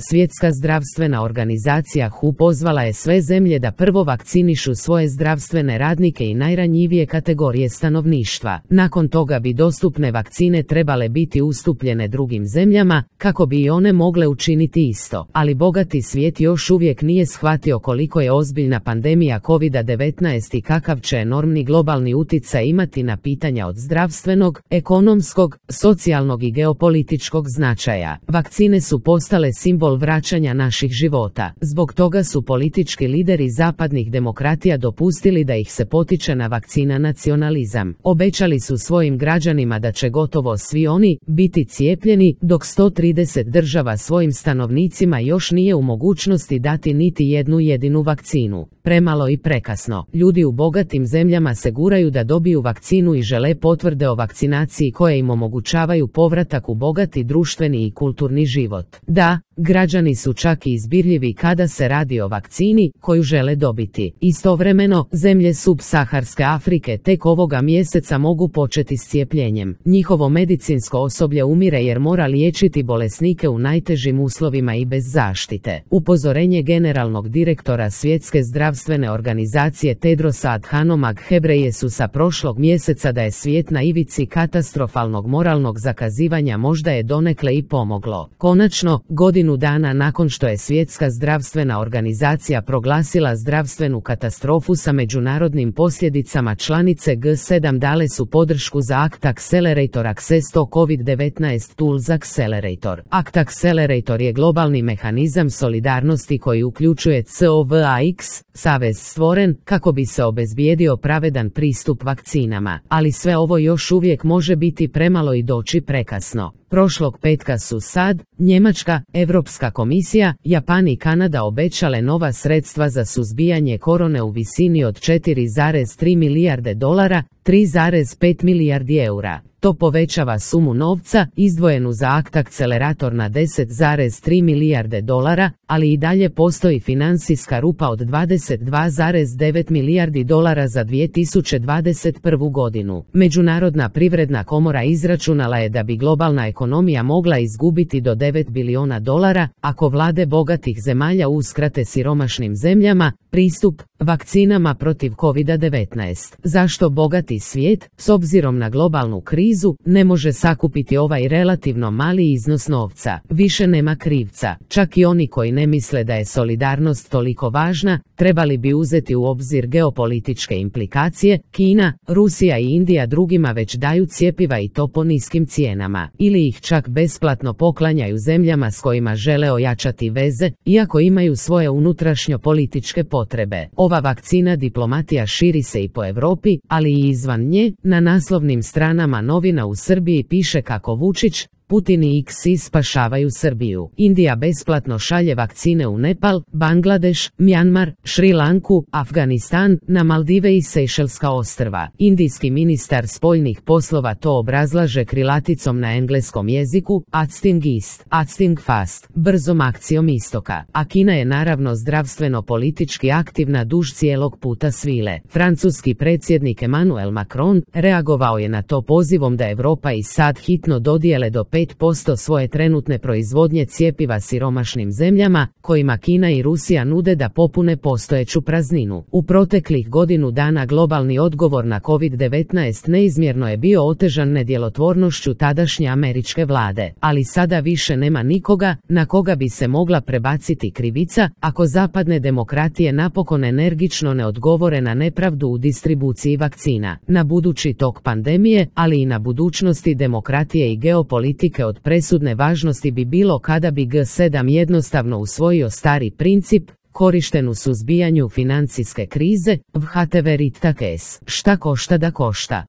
Svjetska zdravstvena organizacija WHO pozvala je sve zemlje da prvo vakcinišu svoje zdravstvene radnike i najranjivije kategorije stanovništva. Nakon toga bi dostupne vakcine trebale biti ustupljene drugim zemljama, kako bi i one mogle učiniti isto. Ali bogati svijet još uvijek nije shvatio koliko je ozbiljna pandemija COVID-19 i kakav će enormni globalni utjecaj imati na pitanja od zdravstvenog, ekonomskog, socijalnog i geopolitičkog značaja. Vakcine su postale simbol vraćanja naših života. Zbog toga su politički lideri zapadnih demokratija dopustili da ih se potiče na vakcina nacionalizam. Obećali su svojim građanima da će gotovo svi oni biti cijepljeni, dok 130 država svojim stanovnicima još nije u mogućnosti dati niti jednu jedinu vakcinu. Premalo i prekasno. Ljudi u bogatim zemljama se guraju da dobiju vakcinu i žele potvrde o vakcinaciji koje im omogućavaju povratak u bogati društveni i kulturni život. Da, građani su čak i izbirljivi kada se radi o vakcini koju žele dobiti. Istovremeno, zemlje subsaharske Afrike tek ovoga mjeseca mogu početi s cijepljenjem. Njihovo medicinsko osoblje umire jer mora liječiti bolesnike u najtežim uslovima i bez zaštite. Upozorenje generalnog direktora Svjetske zdravstvene organizacije Tedrosa Adhanom Ghebreyesusa prošlog mjeseca da je svijet na ivici katastrofalnog moralnog zakazivanja možda je donekle i pomoglo. Konačno, godinu dana nakon što je Svjetska zdravstvena organizacija proglasila zdravstvenu katastrofu sa međunarodnim posljedicama, članice G7 dale su podršku za Act Accelerator Access to COVID-19 Tools Accelerator. Act Accelerator je globalni mehanizam solidarnosti koji uključuje COVAX, savez stvoren kako bi se obezbijedio pravedan pristup vakcinama, ali sve ovo još uvijek može biti premalo i doći prekasno. Prošlog petka su SAD, Njemačka, Europska komisija, Japan i Kanada obećale nova sredstva za suzbijanje korone u visini od 4,3 milijarde dolara, 3,5 milijardi eura. To povećava sumu novca izdvojenu za Act Accelerator na 10,3 milijarde dolara, ali i dalje postoji financijska rupa od 22,9 milijardi dolara za 2021. godinu. Međunarodna privredna komora izračunala je da bi globalna ekonomija mogla izgubiti do 9 biliona dolara ako vlade bogatih zemalja uskrate siromašnim zemljama pristup vakcinama protiv COVID-19. Zašto bogati svijet, s obzirom na globalnu krizu, ne može sakupiti ovaj relativno mali iznos novca? Više nema krivca. Čak i oni koji ne misle da je solidarnost toliko važna, trebali bi uzeti u obzir geopolitičke implikacije. Kina, Rusija i Indija drugima već daju cjepiva i to po niskim cijenama. Ili ih čak besplatno poklanjaju zemljama s kojima žele ojačati veze, iako imaju svoje unutrašnjo-političke potrebe. Ova vakcina diplomatija širi se i po Europi, ali i izvan nje. Na naslovnim stranama novina u Srbiji piše kako Vučić, Putin i Xi spašavaju Srbiju. Indija besplatno šalje vakcine u Nepal, Bangladeš, Mjanmar, Šri Lanku, Afganistan, na Maldive i Sejšelska ostrva. Indijski ministar spoljnih poslova to obrazlaže krilaticom na engleskom jeziku, Acting East, Acting Fast, brzom akcijom istoka. A Kina je naravno zdravstveno politički aktivna duž cijelog puta svile. Francuski predsjednik Emmanuel Macron reagovao je na to pozivom da Europa i SAD hitno dodijele do 5% svoje trenutne proizvodnje cjepiva siromašnim zemljama, kojima Kina i Rusija nude da popune postojeću prazninu. U proteklih godinu dana globalni odgovor na COVID-19 neizmjerno je bio otežan nedjelotvornošću tadašnje američke vlade, ali sada više nema nikoga na koga bi se mogla prebaciti krivica, ako zapadne demokratije napokon energično ne odgovore na nepravdu u distribuciji vakcina. Na budući tok pandemije, ali i na budućnosti demokratije i geopolitike od presudne važnosti bi bilo kada bi G7 jednostavno usvojio stari princip, korišten u suzbijanju financijske krize, whatever it takes, šta košta da košta.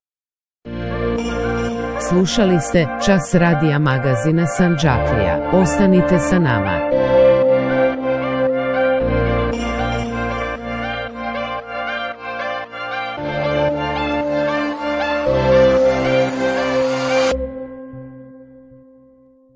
Slušali ste Čas radija magazina Sandžaklija. Ostanite sa nama.